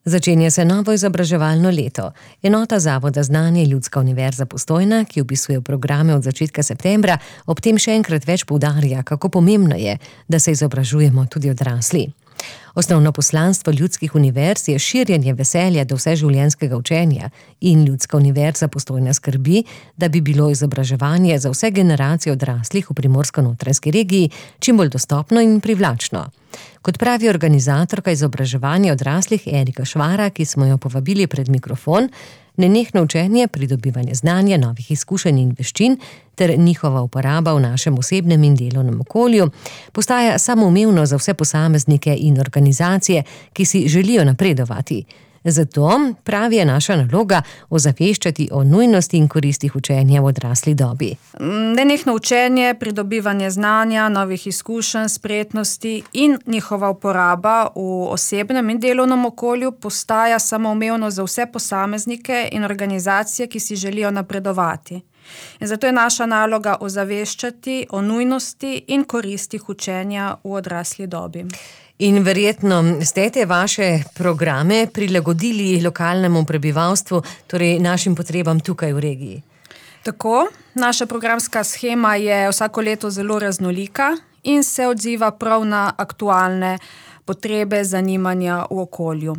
Začenja se novo izobraževalno leto. Enota Zavoda Znanje Ljudska univerza Postojna, ki vpisuje v programe od začetka septembra, ob tem še enkrat več poudarja, kako pomembno je, da se izobražujemo tudi odrasli. Osnovno poslanstvo ljudskih univerz je širjenje veselja do vseživljenjskega učenja in Ljudska univerza Postojna skrbi, da bi bilo izobraževanje za vse generacije odraslih v Primorsko-notranjski regiji čim bolj dostopno in privlačno. Kot pravi organizatorka izobraževanja odraslih Erika Švara, ki smo jo povabili pred mikrofon, nenehno učenje, pridobivanje znanja, novih izkušenj in veščin ter njihova uporaba v našem osebnem in delovnem okolju postaja samoumevno za vse posameznike in organizacije, ki si želijo napredovati. Zato, pravi, je naša naloga ozaveščati o nujnosti in koristih učenja v odrasli dobi. Nenehno učenje, pridobivanje znanja, novih izkušenj, spretnosti in njihova uporaba v osebnem in delovnem okolju postaja samoumevno za vse posameznike in organizacije, ki si želijo napredovati. In zato je naša naloga ozaveščati o nujnosti in koristih učenja v odrasli dobi. In verjetno ste te vaše programe prilagodili lokalnemu prebivalstvu, torej našim potrebam tukaj v regiji. Tako, naša programska shema je vsako leto zelo raznolika in se odziva prav na aktualne potrebe, zanimanja v okolju.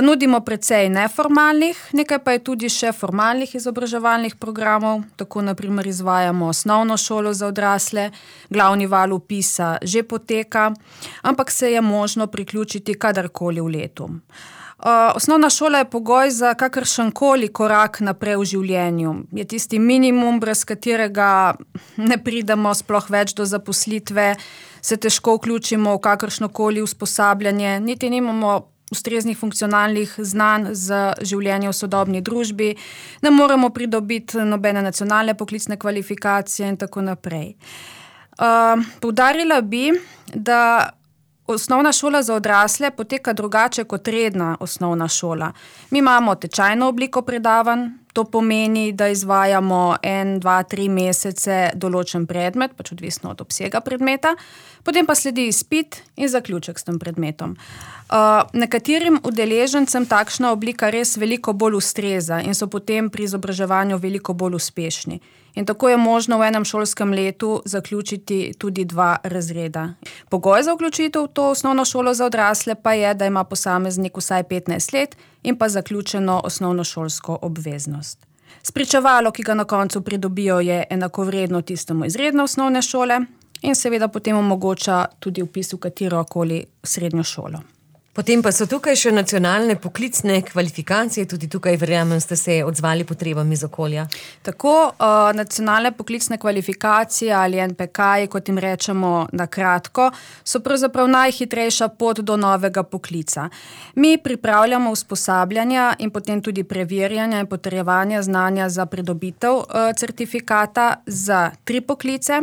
Nudimo precej neformalnih, nekaj pa je tudi še formalnih izobraževalnih programov, tako na primer izvajamo osnovno šolo za odrasle, glavni val vpisa že poteka, ampak se je možno priključiti kadarkoli v letu. Osnovna šola je pogoj za kakršenkoli korak naprej v življenju. Je tisti minimum, brez katerega ne pridemo sploh več do zaposlitve, se težko vključimo v kakršnokoli usposabljanje, niti nimamo ustreznih funkcionalnih znanj za življenje v sodobni družbi, ne moremo pridobiti nobene nacionalne poklicne kvalifikacije in tako naprej. Poudarila bi, da osnovna šola za odrasle poteka drugače kot redna osnovna šola. Mi imamo tečajno obliko predavanj, to pomeni, da izvajamo 1, 2, 3 mesece določen predmet, pač odvisno od obsega predmeta, potem pa sledi izpit in zaključek s tem predmetom. Nekaterim udeležencem takšna oblika res veliko bolj ustreza in so potem pri izobraževanju veliko bolj uspešni. In tako je možno v enem šolskem letu zaključiti tudi 2 razreda. Pogoj za vključitev v to osnovno šolo za odrasle pa je, da ima posameznik vsaj 15 let in pa zaključeno osnovnošolsko obveznost. Spričevalo, ki ga na koncu pridobijo, je enakovredno tistemu iz redne osnovne šole in seveda potem omogoča tudi vpis v katerokoli srednjo šolo. Potem pa so tukaj še nacionalne poklicne kvalifikacije, tudi tukaj verjamem, ste se odzvali potrebam iz okolja. Tako, nacionalne poklicne kvalifikacije ali NPK, kot jim rečemo na kratko, so pravzaprav najhitrejša pot do novega poklica. Mi pripravljamo usposabljanja in potem tudi preverjanja in potrjevanja znanja za pridobitev certifikata za 3 poklice.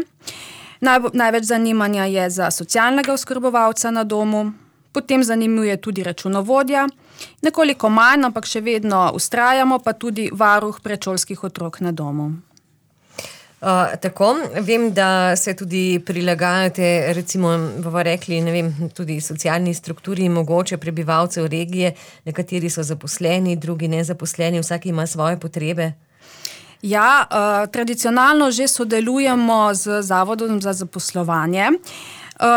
Največ zanimanja je za socialnega oskrbovalca na domu, potem zanimuje tudi računovodja, nekoliko manj, ampak še vedno vztrajamo, pa tudi varuh predšolskih otrok na domu. Tako, vem, da se tudi prilagajate, recimo, bomo rekli, ne vem, tudi socialni strukturi mogoče prebivalcev regije, nekateri so zaposleni, drugi nezaposleni, vsak ima svoje potrebe. Ja, tradicionalno že sodelujemo z Zavodom za zaposlovanje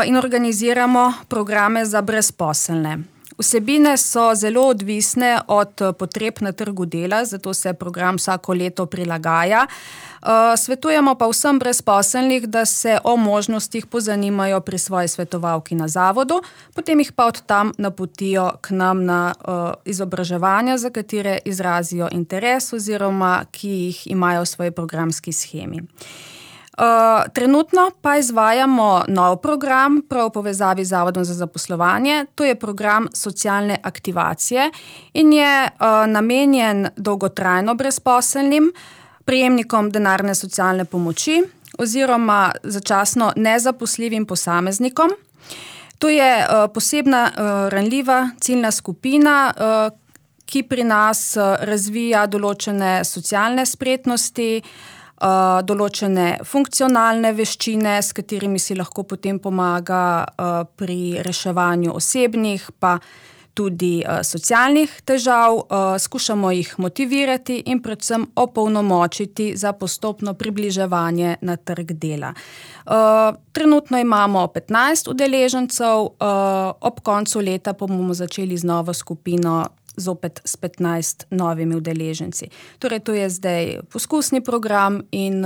in organiziramo programe za brezposelne. Vsebine so zelo odvisne od potreb na trgu dela, zato se program vsako leto prilagaja. Svetujemo pa vsem brezposelnih, da se o možnostih pozanimajo pri svoji svetovalki na zavodu, potem jih pa od tam napotijo k nam na izobraževanja, za katere izrazijo interes oziroma ki jih imajo v svoji programski shemi. Trenutno pa izvajamo nov program, prav v povezavi z Zavodom za zaposlovanje. To je program socialne aktivacije in je namenjen dolgotrajno brezposelnim, prejemnikom denarne socialne pomoči oziroma začasno nezaposljivim posameznikom. To je posebna ranljiva ciljna skupina, ki pri nas razvija določene socialne spretnosti, določene funkcionalne veščine, s katerimi si lahko potem pomaga pri reševanju osebnih, pa tudi socialnih težav, skušamo jih motivirati in predvsem opolnomočiti za postopno približevanje na trg dela. Trenutno imamo 15 udeležencev, ob koncu leta pa bomo začeli z novo skupino zopet s 15 novimi udeleženci. Torej, to je zdaj poskusni program in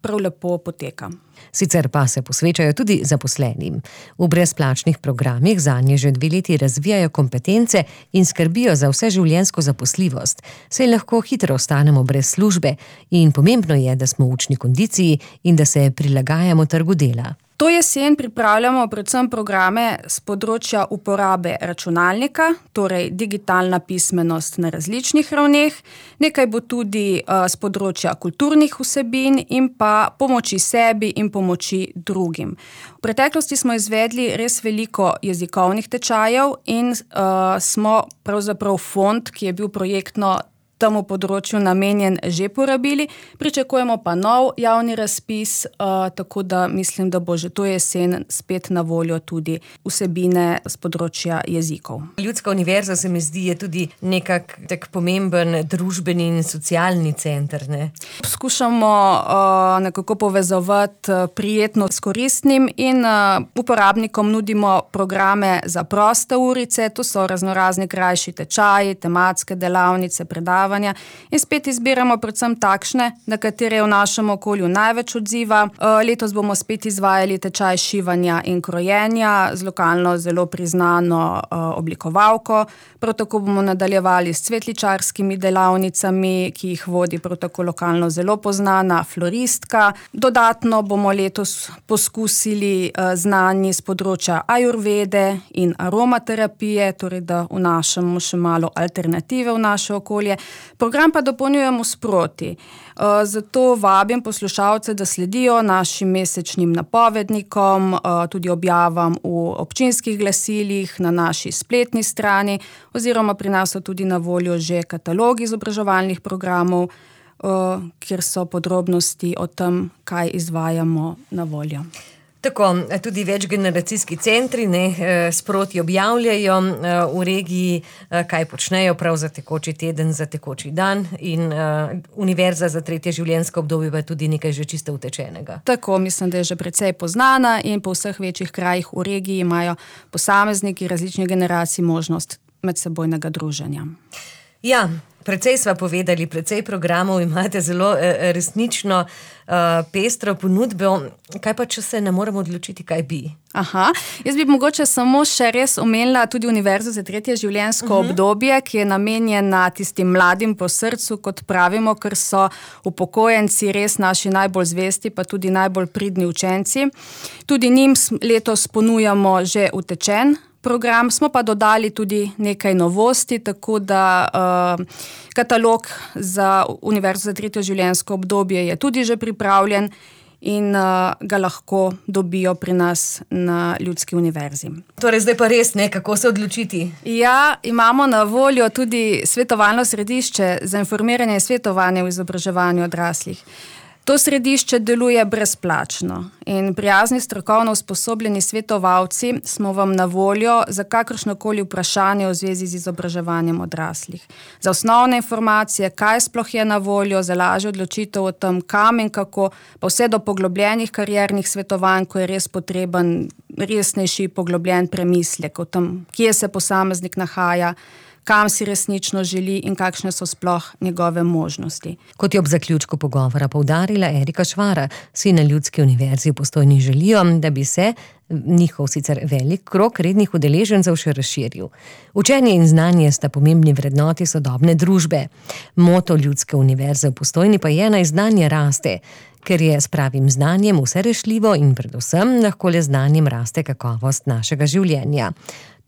prav lepo poteka. Sicer pa se posvečajo tudi zaposlenim. V brezplačnih programih zanje že 2 leti razvijajo kompetence in skrbijo za vseživljenjsko zaposljivost. Saj lahko hitro ostanemo brez službe in pomembno je, da smo v učni kondiciji in da se prilagajamo trgu dela. To jesen pripravljamo predvsem programe z področja uporabe računalnika, torej digitalna pismenost na različnih ravneh. Nekaj bo tudi z področja kulturnih vsebin in pa pomoči sebi in pomoči drugim. V preteklosti smo izvedli res veliko jezikovnih tečajev in smo pravzaprav fond, ki je bil projektno temu področju namenjen, že porabili. Pričakujemo pa nov javni razpis, tako da mislim, da bo že to jesen spet na voljo tudi vsebine z področja jezikov. Ljudska univerza se mi zdi je tudi tak pomemben družbeni in socialni center, ne? Skušamo nekako povezovati prijetno s koristnim in uporabnikom nudimo programe za proste urice, to so raznorazni krajši tečaji, tematske delavnice, predavanja in spet izbiramo predvsem takšne, na katere je v našem okolju največ odziva. Letos bomo spet izvajali tečaj šivanja in krojenja z lokalno zelo priznano oblikovalko. Prav tako bomo nadaljevali s cvetličarskimi delavnicami, ki jih vodi prav tako lokalno zelo poznana floristka. Dodatno bomo letos poskusili znanji z področja ajurvede in aromaterapije, torej da vnašamo še malo alternative v naše okolje. Program pa dopolnjujemo sproti. Zato vabim poslušalce, da sledijo našim mesečnim napovednikom, tudi objavam v občinskih glasilih, na naši spletni strani, oziroma pri nas so tudi na voljo že katalogi izobraževalnih programov, kjer so podrobnosti o tem, kaj izvajamo, na voljo. Tako, tudi večgeneracijski centri sproti objavljajo v regiji, kaj počnejo prav za tekoči teden, za tekoči dan in Univerza za 3. življenjsko obdobje pa tudi nekaj že čisto utečenega. Tako, mislim, da je že precej poznana in po vseh večjih krajih v regiji imajo posamezniki različnih generacij možnost medsebojnega druženja. Ja, precej sva povedali, precej programov imate, zelo resnično pestro ponudbo. Kaj pa, če se ne moramo odločiti, kaj bi? Jaz bi mogoče samo še res omenila tudi Univerzo za 3. življenjsko obdobje, ki je namenjena tistim mladim po srcu, kot pravimo, ker so upokojenci res naši najbolj zvesti, pa tudi najbolj pridni učenci. Tudi njim letos ponujamo že utečen program, smo pa dodali tudi nekaj novosti, tako da katalog za Univerzo za 3. življenjsko obdobje je tudi že pripravljen in ga lahko dobijo pri nas na Ljudski univerzi. Torej, zdaj pa res kako se odločiti? Ja, imamo na voljo tudi svetovalno središče za informiranje in svetovanje v izobraževanju odraslih. To središče deluje brezplačno in prijazni strokovno usposobljeni svetovalci smo vam na voljo za kakršnokoli vprašanje v zvezi z izobraževanjem odraslih. Za osnovne informacije, kaj sploh je na voljo, za lažjo odločitev o tem, kam in kako, pa vse do poglobljenih kariernih svetovanj, ko je res potreben resnejši poglobljen premislek o tem, kje se posameznik nahaja, kam si resnično želi in kakšne so sploh njegove možnosti. Kot je ob zaključku pogovora poudarila Erika Švara, si na Ljudski univerzi v Postojni želijo, da bi se njihov sicer velik krog rednih udeležencev še razširil. Učenje in znanje sta pomembni vrednoti sodobne družbe. Moto Ljudske univerze v Postojni pa je, naj znanje raste, ker je s pravim znanjem vse rešljivo in predvsem lahko le znanjem raste kakovost našega življenja.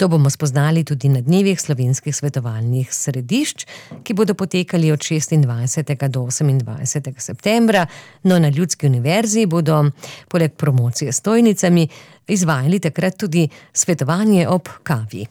To bomo spoznali tudi na dnevih slovenskih svetovalnih središč, ki bodo potekali od 26. do 28. septembra, no na Ljudski univerzi bodo poleg promocije s stojnicami izvajali takrat tudi svetovanje ob kavi.